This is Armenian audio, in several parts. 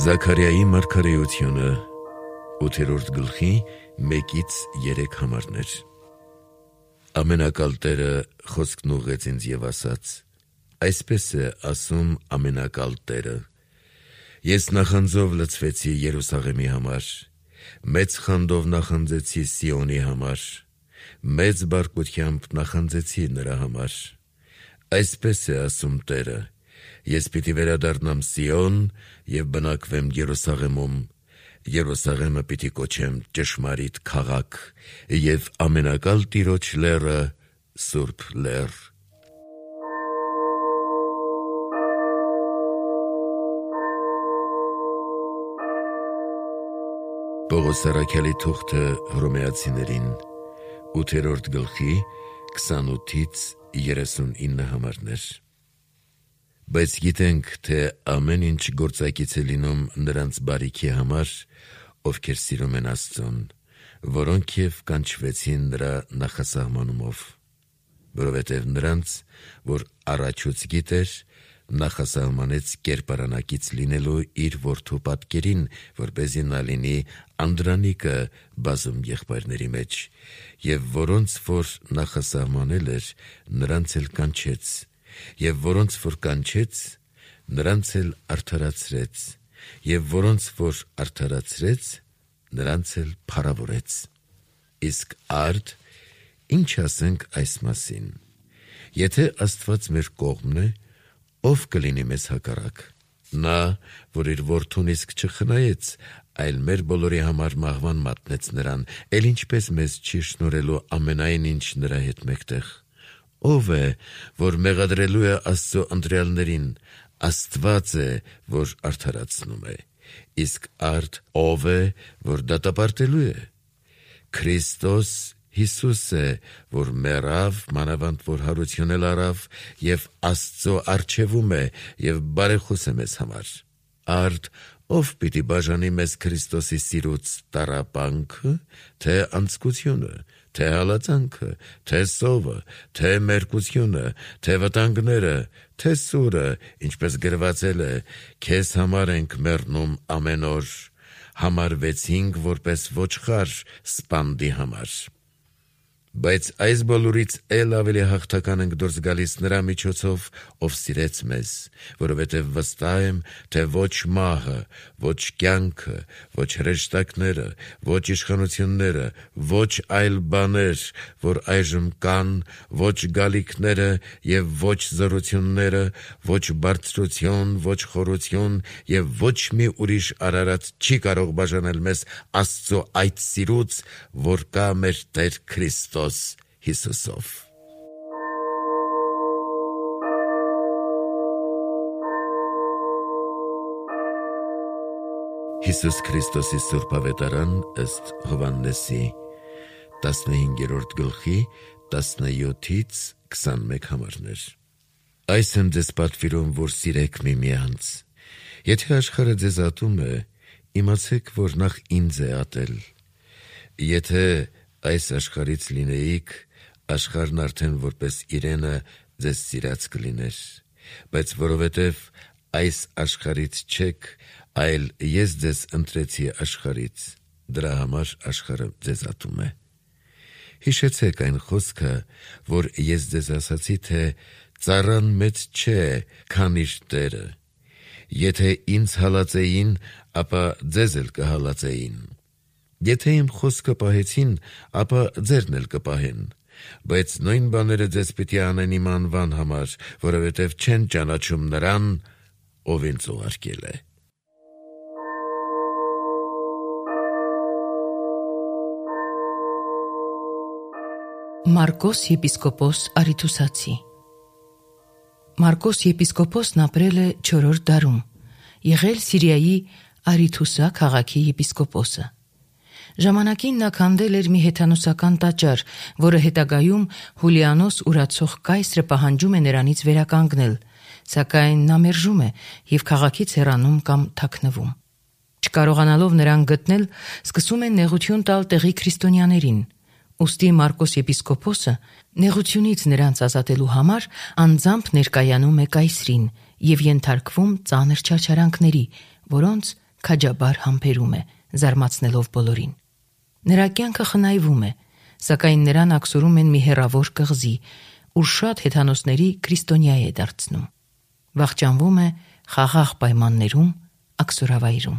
Զաքարիայի մարգարեությունը 8-րդ գլխի 1-3 համարներ։ Ամենակալ Տերը խոսքն ուղղեց ինձ և ասաց. այսպես է ասում ամենակալ Տերը. ես նախանձով լցվեցի Երուսաղեմի համար, մեծ խանդով նախանձեցի Սիոնի համար, մեծ բարկությամբ նախանձեցի նրա համար։ Այսպես է ասում Տերը. ես պիտի վերադառնամ Սիոն և բնակվեմ Երուսաղեմում, Երուսաղեմը պիտի կոչեմ ճշմարիտ քաղաք և ամենակալ Տիրոջ լեռը սուրբ լեռ։ Պողոս առաքյալի թուղթը Հռոմեացիներին 8-րդ գլխի 28-39 համարներ։ Բայց գիտենք, թե ամեն ինչ գործակից է լինում նրանց բարիքի համար, ովքեր սիրում են Աստծուն, որոնք և կանչվեցին նրա նախասահմանումով, որովհետև նրանց, որ առաջուց գիտեր, նախասահմանեց կերպարանակից լինելու իր որդու պատկերին, որպեսզի նա լինի անդրանիկը բազում եղբայրների մեջ, և որոնց որ նախասահմանել էր, նրանց էլ կանչեց, և որոնց որ կանչեց, նրանց էլ արդարացրեց, և որոնց որ արդարացրեց, նրանց էլ փառավորեց։ Իսկ արդ ինչ ասենք այս մասին. եթե Աստված մեր կողմն է, ով կլինի մեզ հակառակ։ Նա, որ իր որդուն իսկ չխնայեց, այլ մեր բոլորի համար մահվան մատնեց նրան, էլ ինչպես մեզ չի շնորհելու ամենայն ինչ նրա հետ մեկտեղ։ Ով է, որ մեղադրելու է Աստծո ընտրյալներին, Աստված է, որ արդարացնում է, իսկ արդ ով է, որ դատապարտելու է։ Քրիստոս Հիսուս է, որ մեռավ, մանավանդ որ հարություն էլ առավ, և Աստծո առջևում է, և բարեխոս է մեզ համար։ Արդ ով պիտի բաժանի մեզ Քրիստոսի սիրուց տառապանքը, թե անձկությունը, թե հալածանքը, թե սովը, թե մերկությունը, թե վտանգները, թե սուրը, ինչպես գրվածել է, քեզ համար ենք մեռնում ամեն օր, համարվեցինք որպես ոչխար սպանդի համար։ Բայց այս բոլորից էլ ավելի հաղթական ենք դուրս գալիս նրա միջոցով, ով սիրեց մեզ, որովհետև վստահ եմ, թե ոչ մահը, ոչ կյանքը, ոչ հրեշտակները, ոչ իշխանությունները, ոչ այլ բաներ, որ այժմ կան, ոչ գալիքները և ոչ զորությունները, ոչ բարձրություն, ոչ խորություն և ոչ մի ուրիշ արարած չի կարող բաժանել մեզ Աստծո այդ սիրուց, որ կա մեր Տեր Քրիստոս Հիսուսով։ Հիսուս Քրիստոսի Սուրբ Ավետարան ըստ Հովհաննեսի 15-րդ գլխի 17-21 համարներ։ Այս եմ ձեզ պատվիրում, որ սիրեք միմյանց։ Եթե աշխարհը ձեզ ատում է, իմացեք, որ նախ ինձ է ատել։ Եթե այս աշխարհից լինեիք, աշխարհն արդեն որպես իրենը ձեզ սիրած կլիներ, բայց որովհետև այս աշխարհից չեք, այլ ես ձեզ ընտրեցի աշխարհից, դրա համար աշխարհը ձեզ ատում է։ Հիշեցեք այն խոսքը, որ ես ձեզ ասացի, թե ծառան մեծ չէ, քան իր տերը։ Եթե ինձ հալածեին, ապա ձեզ էլ կհալածեին։ Եթե իմ խոսքը պահեցին, ապա ձերն էլ կպահեն, բայց նույն բաները ձեզ պիտի անեն իմ անվան համար, որովհետև չեն ճանաչում նրան, ով ինձ ուղարկել է։ Մարկոս եպիսկոպոս Արիթուսացի Մարկոս եպիսկոպոսն ապրել է 4-րդ դարում, եղել Սիրիայի Արիթուսա քաղաքի եպիսկոպոսը։ Ժամանակին նա քանդել էր մի հեթանոսական տաճար, որը հետագայում Հուլիանոս ուրացող կայսրը պահանջում է նրանից վերականգնել, սակայն նա մերժում է և քաղաքից հեռանում կամ թաքնվում։ Չկարողանալով նրան գտնել, սկսում են նեղություն տալ տեղի քրիստոնյաներին։ Ուստի Մարկոս եպիսկոպոսը նեղությունից նրանց ազատելու համար անձամբ ներկայանում է կայսրին և ենթարկվում ծանր չարչարանքների, որոնց քաջաբար համբերում է, զարմացնելով բոլորին։ Նրա կյանքը խնայվում է, սակայն նրան աքսորում են մի հեռավոր կղզի, ուր շատ հեթանոսների քրիստոնյա է դարձնում։ Վախճանվում է խաղաղ պայմաններում, աքսորավայրում։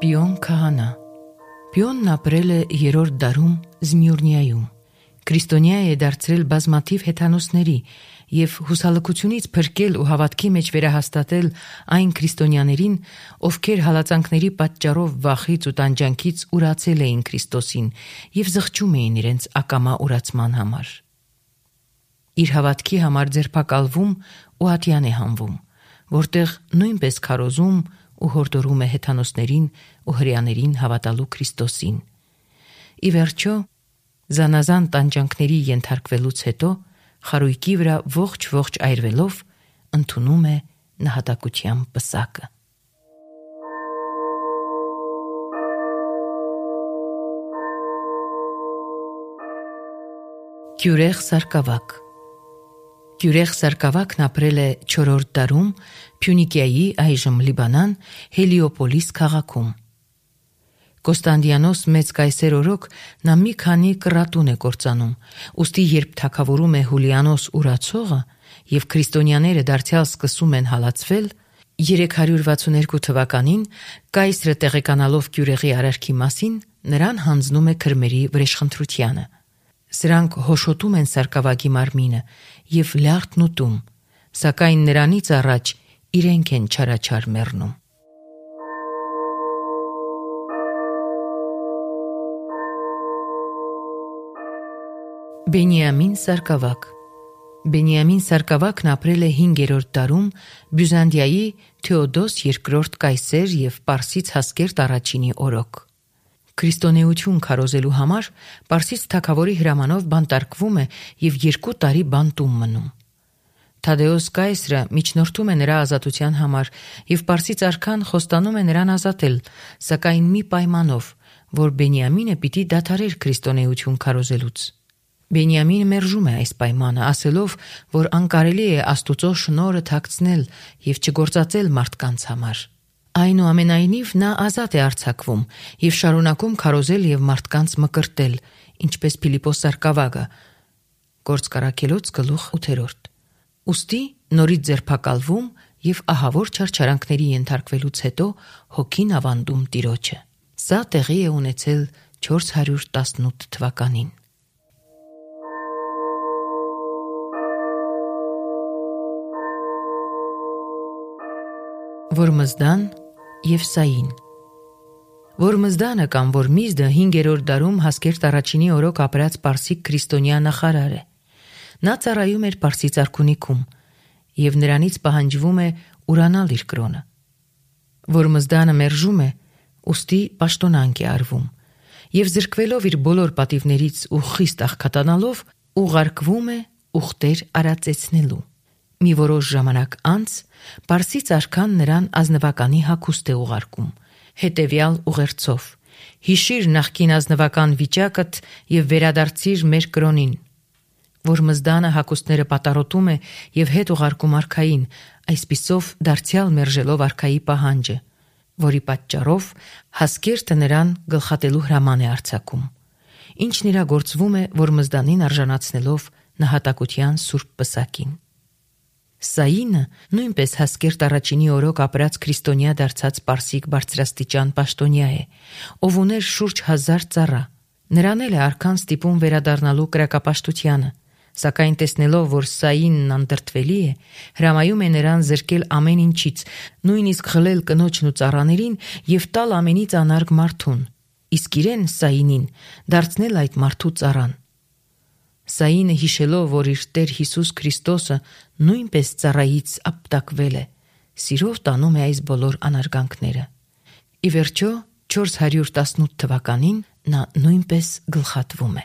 Պիոն քահանա։ Պիոնն ապրել է 3-րդ դարում Զմյուրնիայում։ Քրիստոնյա է դարձրել բազմաթիվ հեթանոսների և հուսալքությունից փրկել ու հավատքի մեջ վերահաստատել այն քրիստոնյաներին, ովքեր հալածանքների պատճառով վախից ու տանջանքից ուրացել էին Քրիստոսին և զղջում էին իրենց ակամա ուրացման համար։ Իր հավատքի համար ձերբակալվում ու ատյան է հանվում, որտեղ նույնպես քարոզում ու հորդորում է հեթանոսներին ու հրեաներին հավատալու Քրիստոսին։ Ի վերջո, զանազան տանջանքների ենթարկվելուց հետո խարույկի վրա ողջ այրվելով ընդունում է նահատակության պսակը։ Գյուրեղ Սարգսակ։ Գյուրեղ Սարգսակն ապրել է 4-րդ դարում Փյունիկիայի, այժմ Լիբանան, Հելիոպոլիս քաղաքում։ Կոստանդիանոս մեծ կայսեր օրոք նա մի քանի կռատուն է կործանում, ուստի երբ թագավորում է Հուլիանոս ուրացողը և քրիստոնյաները դարձյալ սկսում են հալածվել, 362 թվականին կայսրը տեղեկանալով Գյուրեղի արարքի մասին, նրան հանձնում է քրմերի վրեժխնդրությանը։ Սրանք հոշոտում են Սարգսակի մարմինը և լյարդն ուտում, սակայն նրանից առաջ իրենք են չարաչար մեռնում։ Բենիամին Սարգսակ։ Բենիամին Սարգսակն ապրել է 5-րդ դարում Բյուզանդիայի Թեոդոս II կայսեր և Պարսից Հասկերտ I-ի օրոք։ Քրիստոնեություն քարոզելու համար Պարսից թագավորի հրամանով բանտարկվում է և 2 տարի բանտում մնում։ Թադեոս կայսրը միջնորդում է նրա ազատության համար և Պարսից արքան խոստանում է նրան ազատել, սակայն մի պայմանով, որ Բենիամինը պիտի դադարեր քրիստոնեություն քարոզելուց։ Բենիամինը մերժում է այս պայմանը, ասելով, որ անկարելի է Աստուծո շնորհը թաքցնել և չգործածել մարդկանց համար։ Այնուամենայնիվ նա ազատ է արձակվում և շարունակում քարոզել և մարդկանց մկրտել, ինչպես Փիլիպոս Սարգսակը, Գործք Առաքելոց 8-րդ։ Ուստի նորից ձերբակալվում և ահավոր չարչարանքների ենթարկվելուց հետո հոգին ավանդում Տիրոջը։ Սա տեղի է ունեցել 418 թվականին։ Որմզդան և Սային։ Որմզդանը կամ Որմիզդը 5-րդ դարում Հասկերտ I-ի օրոք ապրած պարսիկ քրիստոնյա նախարար է։ Նա ծառայում էր Պարսից արքունիքում և նրանից պահանջվում է ուրանալ իր կրոնը։ Որմզդանը մերժում է, ուստի պաշտոնանկ է արվում և զրկվելով իր բոլոր պատիվներից ու խիստ աղքատանալով ուղարկվում է ուխտեր արածեցնելու։ Մի որոշ ժամանակ անց Պարսից արքան նրան ազնվականի հագուստ է ուղարկում, հետևյալ ուղերձով. «Հիշիր նախկին ազնվական վիճակդ և վերադարձիր մեր կրոնին»։ Որմզդանը հագուստները պատառոտում է և հետ ուղարկում արքային, այսպիսով դարձյալ մերժելով արքայի պահանջը, որի պատճառով Հասկերտը նրան գլխատելու հրաման է արձակում, ինչն իրագործվում է Որմզդանին արժանացնելով նահատակության սուրբ պսակին։ Սայինը նույնպես Հասկերտ I-ի օրոք ապրած քրիստոնյա դարձած պարսիկ բարձրաստիճան պաշտոնյա է, ով ուներ շուրջ 1000 ծառա։ Նրան էլ է արքան ստիպում վերադառնալու կրակապաշտությանը, սակայն տեսնելով, որ Սայինն անդրդվելի է, հրամայում է նրան զրկել ամեն ինչից, նույնիսկ խլել կնոջն ու ծառաներին և տալ ամենից անարգ մարդուն, իսկ իրեն Սայինին դարձնել այդ մարդու ծառան։ Սայինը հիշելով, որ իր Տեր Հիսուս Քրիստոսը նույնպես ծառայից ապտակվել է, սիրով տանում է այս բոլոր անարգանքները։ Ի վերջո 418 թվականին նա նույնպես գլխատվում է։